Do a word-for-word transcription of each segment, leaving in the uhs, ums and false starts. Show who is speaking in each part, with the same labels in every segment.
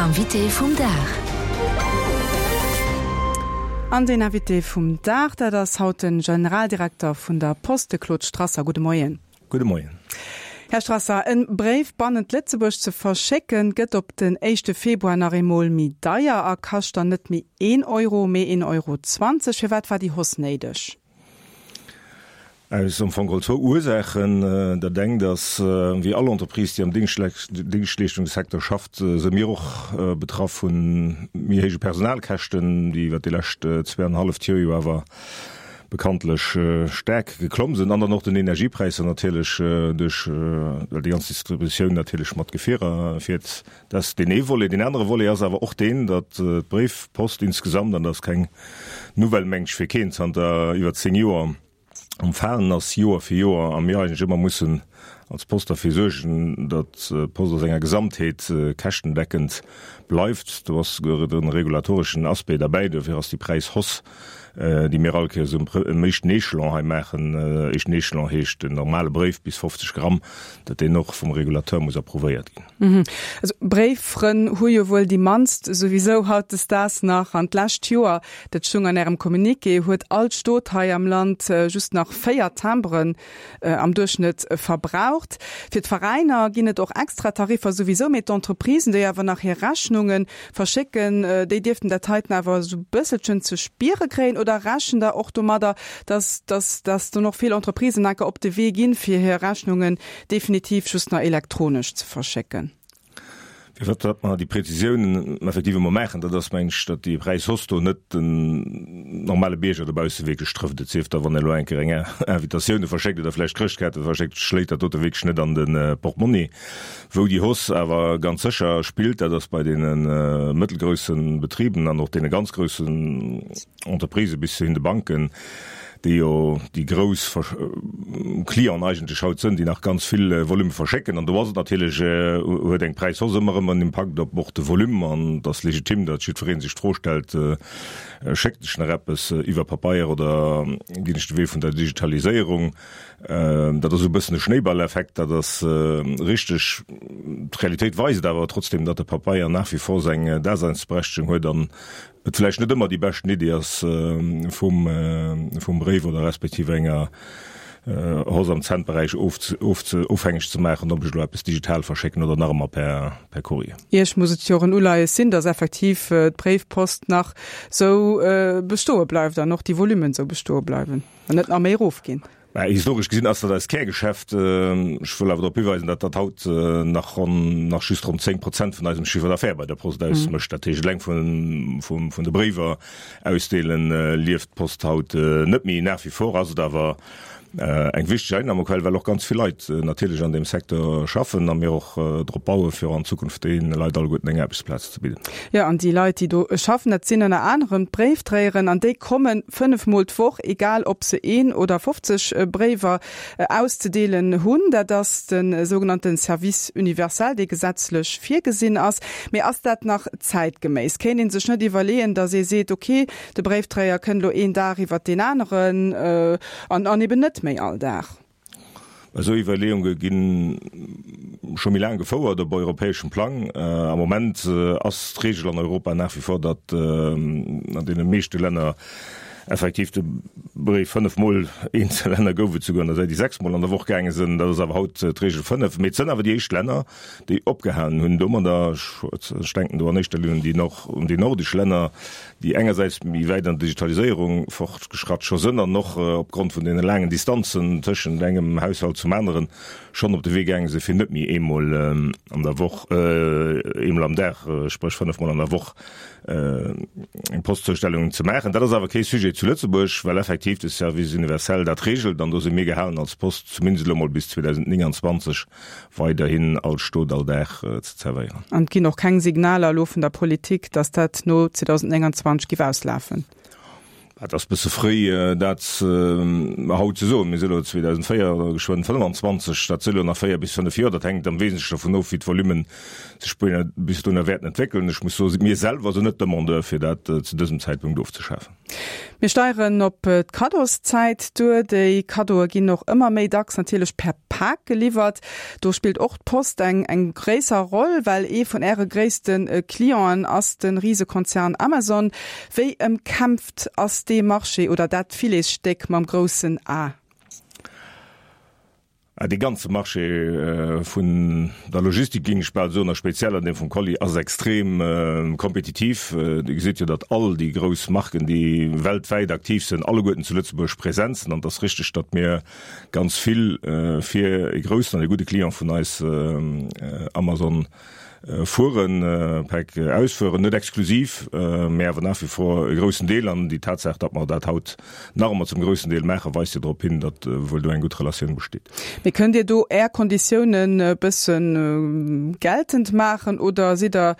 Speaker 1: Invité vum Dag.
Speaker 2: An den Invité vum Dag, dat ass haut den Generaldirekter vun der Post, de Claude Strasser. Gudde Moien.
Speaker 3: Gudde Moien.
Speaker 2: Här Strasser, en Bréif bannent Lëtzebuerg ze verschécken, gëtt op den éischte Februar nach eemol méi deier a kascht dann net méi een Euro, mee een Euro zwanzeg. Firwat war déi Hausse néideg?
Speaker 3: Aus am Fong geholl zwou Ursaachen. Dat engt ass, wéi all Entreprise, déi am Déngschtleeschtungssecteur schafft, si mir och betraff vu méi héije Personalkäschten, déi iwwert déi lescht zwee an e halleft Joer jo awer bekanntlech staark geklomm sinn, an dann och den Energiepräisser natierlech duerch, well déi ganz Distributioun natierlech mat Gefierer fiert. Dat ass deen ee Volet. Deen anere Volet ass awer och deen, datt d'Bréifpost insgesamt, an dat ass keng Nouvelle, meng ech, fir keen, zanter iwwer zéng Joer am Falen ass, Joer fir Joer, a mir eigentlech ëmmer mussen als Post derfir suergen, datt d'Post a senger Gesamtheet käschtendeckend bleift. Do ass souguer de regulatoreschen Aspect derbäi. Dofir ass déi Präishausse, déi mir all Kéiers um éischten Echelon hei maachen, éischten Echelon heescht den normale Bréif bis fofzeg Gramm, datt deen och vum Regulateur muss approuvéiert ginn.
Speaker 2: Also Bréiffrënn hu jo wuel déi mannst souwisou hautdesdaags nach. An d'lescht Joer, dat stoung an Ärem Communiqué, huet all Stot hei am Land just nach véier Timberen am Duerchschnëtt verbraucht. Fir d'Veräiner ginn et och extra Tariffer souwisou, mee d'Entreprisen, déi awer nach hir Rechnunge verschécken, déi dierften dat heiten awer esou bësselchen ze spiere kréien. Oder rechent Der och domadder, dass dass dass dann och vill Entreprisen enker op de Wee ginn, fir hir Rechnungen definitiv just nach elektronesch ze verschécken?
Speaker 3: Firwat datt mer déi Präzisioun effektiv emol maachen, dat ass, meng ech, datt déi Präishausse do net den normale Bierger dobausse wierklech trëfft. Et sief da, wann e elo eng Kéier eng Invitatioun verschéckt oder vläicht Chrëschtkaarte verschéckt, schléit dat dote wierklech net an de Portmonni. Wou déi Hausse awer ganz sécher spillt, dat ass bei deene mëttelgrousse Betriben an och deene ganz groussen Entreprisë bis hin de Banken, déi jo déi grouss Clienten eigentlech haut sënn, déi nach ganz vill Volume verschécken. An do ass et natierlech, huet eng Präishausse ëmmer erëm en Impakt op och de Volume. An et ass legitim, datt jiddweree sech d'Fro stellt, Schécken ech nach eppes iwwer Papeier oder ginn ech de Wee vun der Digitaliséierung? Dat ass esou e bëssen e Schnéiballeffekt, dat ass richteg. D'Realitéit weist awer trotzdem, datt de Papeier nach wie vor seng Daseinsberechtegung huet an et vläicht net ëmmer déi beschten Iddi ass, vum vum Bréif oder respektiv enger Hausse am Centberäich ofhängeg ze maachen, ob ech elo eppes digital verschécken oder nach ëmmer per per Courrier.
Speaker 2: Iech muss et jo och en Uleies sinn, datt effektiv d'Bréifpost nach sou bestoe bleift an och déi Volummen sou bestoe bleiwen an net nach méi erofginn.
Speaker 3: Mä historesch gesinn ass dat eist Kärgeschäft. Ech wëll awer drop hiweisen, datt dat haut nach ronn, nach just ronn zéng Prozent vun eisem Chiffre d'affaires bei der Post ausmécht. Dat heescht, eleng vun, vun de Bréiwer ausdeelen lieft d'Post haut net méi. Nach wie vor ass et awer eng wichteg Einnahmequell, well och ganz vill Leit natierlech an deem Secteur schaffen a mir och drop bauen, fir och an Zukunft deene Leit alleguerten eng Aarbechtsplaz ze bidden.
Speaker 2: Jo, an déi Leit, déi do schaffen, dat sinn ënner anerem d'Bréifdréieren, an déi komme fënnef Mol d'Woch, egal ob se een oder fofzeg Bréiwer auszedeelen hunn. Dat ass de sougenannte Service universel, dee gesetzlech virgesinn ass. Mee ass dat nach zäitgeméiss? Kéint ee sech net iwwerleeën, datt ee seet, okay, de Bréifdréier kënnt elo een Dag iwwert deen aneren an eben net méi all Dag?
Speaker 3: Esou Iwwerleeunge gi scho méi laang gefouert op europäeschem Plang. Am Moment ass d'Reegel an Europa nach wie vor, datt an deene meeschte Länner effektiv de Bréif fënnef Mol, eenzel Länner gouf et souguer an der Säit, déi sechs Mol an der Woch gaange sinn, dat ass awer haut d'Reegel fënnef. Mee et sënn awer déi éischt Länner, déi opgehalen hunn domadder, ech denken do an éischter Linn un déi un déi nordesch Länner, déi engersäits méi wäit an der Digitaliséierung fortgeschratt scho sënn an och opgrond vun deene laangen Distanzen tëschent engem Haushalt zum aneren schonn op de Wee gaange sinn, fir net méi eemol an der Woch, eemol am Dag, spréch fënnefmol an der Woch eng Postzustellung ze maachen. Dat ass awer kee Sujet zu Lëtzebuerg, well effektiv de Service universel dat regelt an do si mir gehalen als Post, zumindest elo mol bis zweedausendnénganzwanzeg weiderhin all Stot, all Dag ze zerwéieren.
Speaker 2: An et ginn och keng Signaler elo vun der Politik, datt dat no zweedausendnénganzwanzeg géif auslafen?
Speaker 3: Et ass bësse fréi, dat haut ze soen. Mir si elo zweedausendvéier oder geschwënn fënnfanzwanzeg, dat si elo nach véier bis fënnef Joer. Dat hänkt am Wesentlechen dovun of, wéi d'Volumen sech bis dohinner wäerten entwéckelen. Ech muss soen, mir selwer sinn net Demandeur, fir dat zu dësem Zäitpunkt ofzeschafen.
Speaker 2: Mir steieren op d'Kaddoszäit duer. Déi Kaddoe ginn och ëmmer méi dacks natierlech per Pak geliwwert. Do spillt och d'Post eng eng gréisser Roll, well ee vun Äre gréisste Clienten ass de Risekonzern Amazon. Wéi ëmkämpft ass dee Marché oder dat Filetsstéck mam groussen A?
Speaker 3: Dee ganze Marché vun der Logistik, géing ech bal soen, a speziell an deem vum Colis, ass extrem kompetitiv. Dir gesitt jo, datt all déi grouss Marken, déi weltwäit aktiv sinn, alleguerten zu Lëtzebuerg present sinn. An et ass richteg, datt mir ganz vill fir e groussen an e gudde Client vun eis, Amazon, Fueren, Päck ausfueren, net exklusiv, mä awer nach wie vor e groussen Deel. An déi Tatsaach, datt mer dat haut nach ëmmer zum groussen Deel maachen, weist jo drop hin, datt wuel do eng gutt Relatioun besteet.
Speaker 2: Mee kënnt Dir do Är Konditiounen e bësse geltend maachen oder sidd Der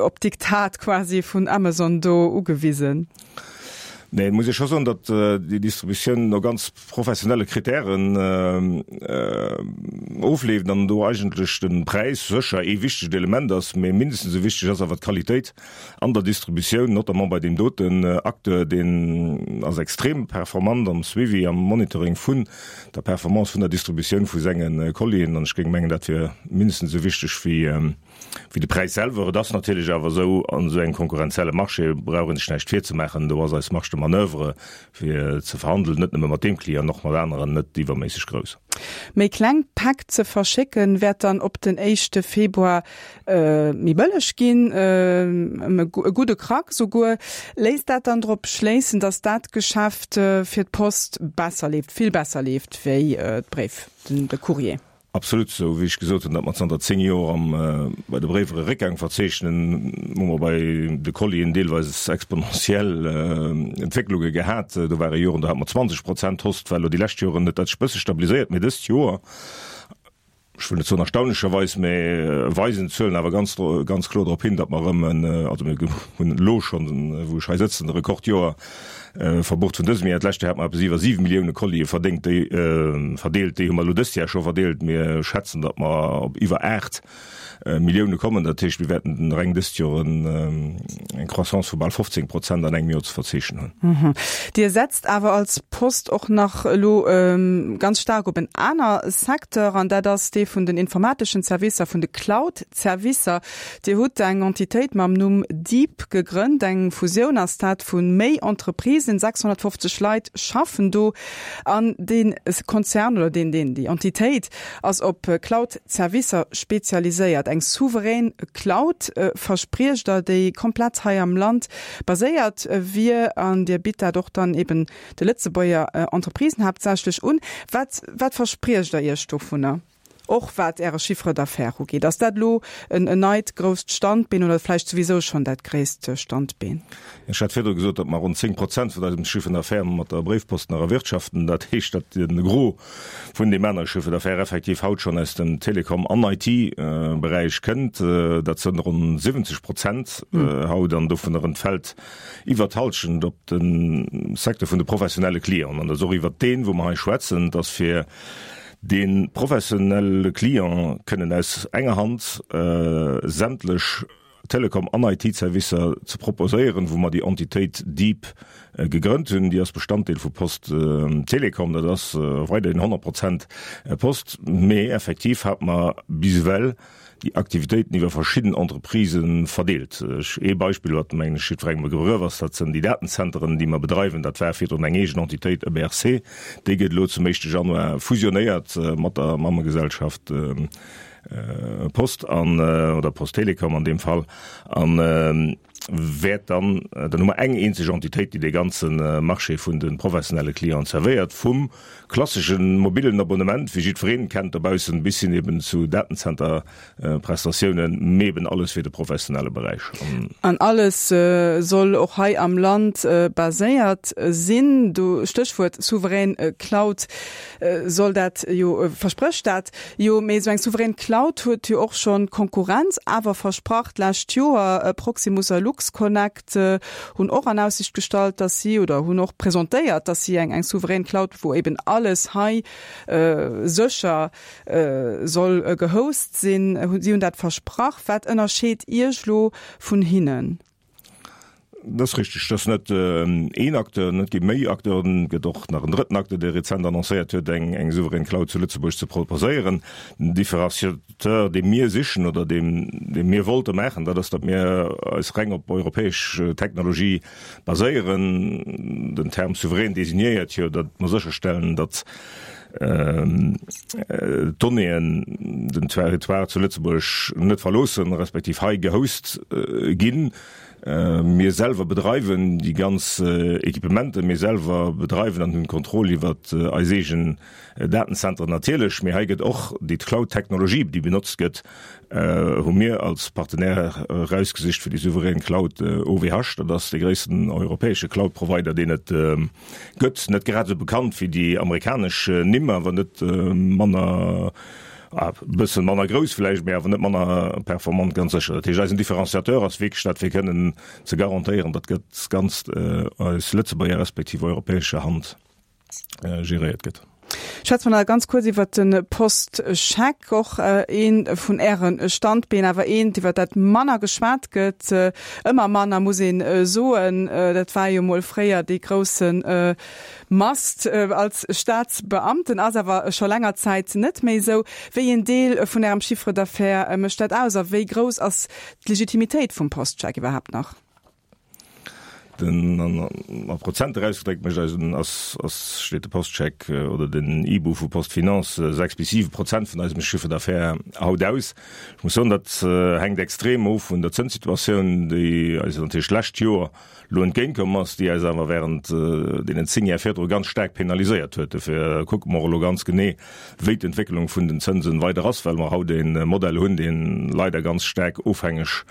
Speaker 2: op d'Diktat quasi vun Amazon do ugewisen?
Speaker 3: Nee, et muss ee scho soen, datt déi Distributioun no ganz professionelle Kritären ofleeft an do eigentlech de Präis sécher ee wichtegt Element ass, mee mindestens esou wichteg ass awer d'Qualitéit an der Distributioun, notamment bei deem doten Acteur, deen ass extrem performant am Suivi, am Monitoring vun der Performance vun der Distributioun vu senge Collien. An ech géing mengen, dat wier mindestens esou wichteg wéi Wéi de Präis selwer. Et ass natierlech awer esou, an esou engem konkurrenzielle Marché brauch een sech näischt virzemaachen, do ass eis Marge de manoeuvre fir ze verhandelen, net nëmme mat deem Client, och mat aneren, net iwwerméisseg grouss.
Speaker 2: Méi kleng Päck ze verschécken, wäert dann op den éischte Februar méi bëlleg ginn, ëm e gudde Krack souguer. Léisst dat dann drop schléissen, datt dat Geschäft fir d'Post besser leeft, vill besser leeft wéi d'Bréif, de Courrier?
Speaker 3: Absolut, esou wéi ech gesot hunn, datt mer zanter zéng Joer am bei de Bréiwer e Réckgang verzeechnen, hu mer bei de Collien deelweis exponentiell Entwécklunge gehat. Do ware Joren, do hate mer zwanzeg Prozent Host, war elo déi lescht Joren huet dat sech e bësse stabiliséiert, mee dëst Joer, ech wëll net soen erstaunlecherweis, mä weisen d'Zuelen awer ganz, ganz kloer drop hin, datt mer erëm en, also mir hunn elo schonn, wou ech hei sëtzen, e Rekordjoer verbucht vun dësem Joer. D'lescht Joer hate mer eppes iwwer siwe Millioune Collië verdéngt, déi, verdeelt, déi hu mer elo dëst Joer scho verdeelt. Mir schätzen, datt mer op iwwer aacht Millioune kommen. Dat heescht, mir wäerten reng dëst Joer eng Croissance vu bal fofzéng Prozent an engem Joer ze verzeechnen
Speaker 2: hunn. Dir setzt awer als Post och nach elo ganz staark op en aner Secteur, an dat ass dee vun den informateschen Servicer, vun de Cloud-Servicer. Dir hutt eng Entitéit mam Numm Deep gegrënnt. Eng Fusioun ass dat vu méi Entreprisen. sechshonnertfofzeg Leit schaffen do. An dee Konzern oder deen, deen, déi Entitéit ass op Cloud-Servicer spezialiséiert. Eng souverän Cloud verspriecht Der, déi komplett hei am Land baséiert wier. An Dir bitt dat och dann eben de Lëtzebuerger Entreprisen haaptsächlech un. Wat, wat verspriecht Der Iech dovunner? Och wat Äre Chiffre d'affaires ugeet, ass dat elo en neit grousst Standbeen oder vläicht souwisou schonn dat gréisst Standbeen?
Speaker 3: Ech hat virdru gesot, datt mer ronn zéng Prozent vun eisem Chiffre d'affaires mat der Bréifpost nach erwirtschaften. Dat heescht, datt de Gros vun deem anere Chiffre d'affaires effektiv haut schonn aus dem Telekom an I T-Beräich kënnt. Dat sënn ronn siwwenzeg Prozent haut an dovunner entfält iwwert d'Hallschent op de Secteur vun de professionelle Clienten. An dat ass och iwwert deen, wou mer hei schwätzen, dass fir dee professionelle Client kënnen aus enger Hand sämtlech Telekom an I T-Servicer ze proposéieren, wou mer déi Entitéit Deep gegrënnt hunn. Déi ass Bestanddeel vu Post Telecom, dat ass weiderhin honnert Prozent Post, mee effektiv hat mer bis ewell déi Aktivitéiten iwwer verschidden Entreprisë verdeelt. Ech, ee Beispill, wat mengen ech jiddwerengem e Begrëff ass, dat sinn déi Datenzenteren, déi mer bedreiwen. Dat war virdrun eng eegen Entitéit, E B R C. Déi gëtt elo zum éischte Januar fusionéiert mat der Mammegesellschaft Post an, oder Post Telecom an deem Fall, an wäert dann, dann hu mer eng eenzeg Entitéit, déi dee ganze Marché vun de professionelle Clienten zerwéiert, vum klassesche mobillen Abonnement, wéi jiddwereen kennt dobaussen, bis hin eben zu Datenzenter-Prestatiounen, mee eben alles fir de professionelle Beräich.
Speaker 2: An alles soll och hei am Land baséiert sinn. Do, Stéchwuert souverän Cloud, soll dat jo, versprécht dat jo, mee esou eng souverän Cloud, Cloud huet jo och schonn Konkurrenz awer versprach d'lescht Joer. Proximus a LuxConnect hunn och an Aussicht gestallt, dass si, oder hunn och presentéiert, dass si eng eng souverän Cloud, wou eben alles hei sécher soll gehost sinn, si hunn dat versprach. Wat ënnerscheet Iech elo vun hinnen?
Speaker 3: Dat ass richteg, dat ass net een Acteur, et gi méi Acteuren. Et gëtt och nach en drëtten Acteur, dee rezent annoncéiert huet, eng eng souverän Cloud zu Lëtzebuerg ze proposéieren. Den Différenciateur, dee mir sichen oder dee dee mir wollte maachen, dat ass, datt mir eis reng op europäesch Technologie baséieren. Den Term souverän designéiert jo, datt mer sécherstellen, datt d'Donnéeën den Territoire zu Lëtzebuerg net verloossen, respektiv hei gehost ginn. Mir selwer bedreiwen déi ganz Equipementen, mir selwer bedreiwen an hunn d'Kontroll iwwer eis eegen Datenzentren natierlech, mee hei gëtt och déi Cloud-Technologie, déi benotzt gëtt, hu mir als Partenaire erausgesicht fir déi souverän Cloud O W H. Dat ass dee gréissten europäesche Cloud-Provider, deen et gëtt. Net grad esou bekannt wéi déi amerikanesch Nimm, awer net manner, e bëssen manner grouss vläicht, mee awer net manner performant, ganz sécher. Dat heescht, eisen Différenciateur ass wierklech dat, fir kënnen ze garantéieren, datt dat Ganzt aus Lëtzebuerger respektiv europäescher Hand geréiert gëtt.
Speaker 2: Schwätze mer nach ganz kuerz iwwert de Postscheck, och ee vun Äre Standbeen, awer eent, iwwer dat manner geschwat gëtt, ëmmer manner, muss ee soen. Dat war jo mol fréier dee grousse Mast als Staatsbeamten, ass awer scho länger Zäit net méi esou. Wéi een Deel vun Ärem Chiffre d'affaires mécht dat aus a wéi grouss ass d'Legitimitéit vum Postscheck iwwerhaapt nach?
Speaker 3: Den, an a Prozenter ausgedréckt mécht eisen, ass, ass, steet de Postscheck oder den I B U vu PostFinance sechs bis siwe Prozent vun eisem Chiffre d'affaires haut aus. Ech muss soen, dat hänkt extrem of vun der Zënssituatioun, déi eis natierlech d'lescht Joer elo entgéintkomm ass, déi eis awer während deenen zéng Jar virdru ganz staark penaliséiert huet. Dofir kucke mer och elo ganz genee, wéi d'Entwécklung vun den Zënsen weider ass, well mer haut e Modell hunn, dee leider ganz staark ofhängeg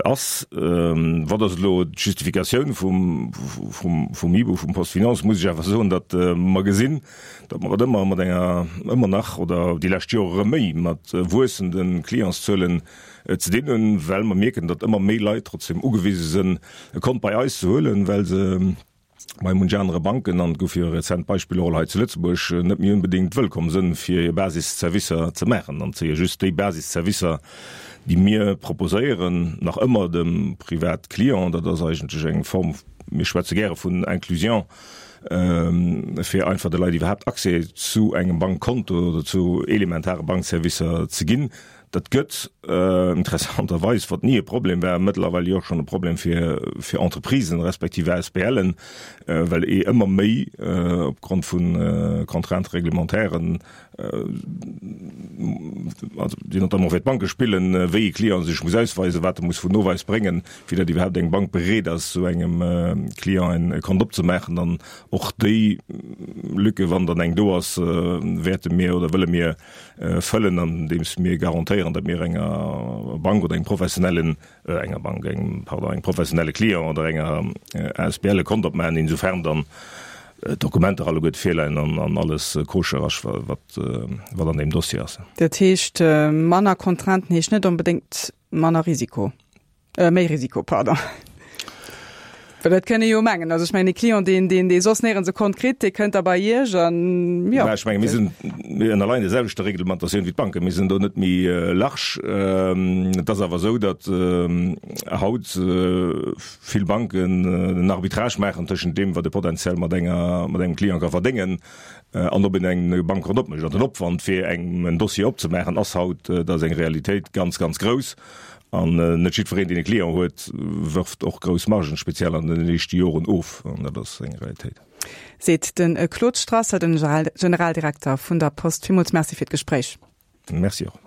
Speaker 3: ass. Wat ass elo d'Justifikatioun vum, vum, vum I B U, vum PostFinance, muss ech awer soen, datt mer gesinn, datt mer et ëmmer mat enger, ëmmer nach oder déi lescht Jore erëm méi mat wuessende Clientszuelen ze dinn hunn, well mer mierken, datt ëmmer méi Leit trotzdem ugewise sinn, e Kont bei eis ze huelen, well se bei munch anere Banken, an et gouf jo rezent Beispiller och hei zu Lëtzebuerg, net méi onbedéngt wëllkomm sinn, fir hir Basisservicer ze maachen. An et si jo just déi Basisservicer, déi mir proposéieren, nach ëmmer dem Privatclient, dat ass eigentlech eng Form, mir schwätze gäre vun Inclusion, fir einfach de Leit iwwerhaapt Accès zu engem Bankkonto oder zu elementare Bankservicer ze ginn. Dat gëtt interessanterweis, wat ni e Problem war, mëttlerweil jo och schonn e Problem fir, fir Entreprisen respektiv A S B Len, well ee ëmmer méi opgrond vu Contraintes réglementairen, also déi notamment fir d'Banke spillen, wéi e Client sech muss ausweisen, wat e muss vun Noweis bréngen, fir datt iwwerhaapt eng Bank bereet ass, esou engem Client en Kont opzemaachen. An och déi Lücke, wann dann eng do ass, wäerte mir oder wëlle mir fëllen, andeems mir garantéieren, datt mir enger Bank oder engem professionellen, äh, enger Bank, engem, pardon, engem professionelle Client oder enger A S B L e Kont opmaachen, insofern dann Dokumenter alleguer virleien an, an alles koscher ass, wat, wat an dem Dossier ass.
Speaker 2: Dat heescht, manner Contrainten heescht net onbedéngt manner Risiko. Äh, méi Risiko, pardon. Well dat kënne jo mengen. Also ech mengen, e Client, deen, deen, dee soss néierens e Kont kritt, dee kënnt da bei Iech an,
Speaker 3: ja. Ja, ech menge, mir sinn, mir ënnerleien der selwechter Reglementatioun wéi d'Banken. Mir sinn do net méi large. Et ass awer esou, datt haut vill Banken en Arbitrage maachen tëschent deem, wat e potenziell mat enger, mat engem Client ka verdéngen, an ob een eng Bankkont opmécht. An den Opwand, fir engem en Dossier opzemaachen, ass haut, dat ass eng Realitéit, ganz, ganz grouss. An net jiddwereen, deen e Client huet, wërft och grouss Margen, speziell an den éischte Joren of. An dat ass eng Realitéit.
Speaker 2: Seet de Claude Strasser, den Generaldirekter vun der Post. Villmools Merci fir d'Gespréich.
Speaker 3: Merci och.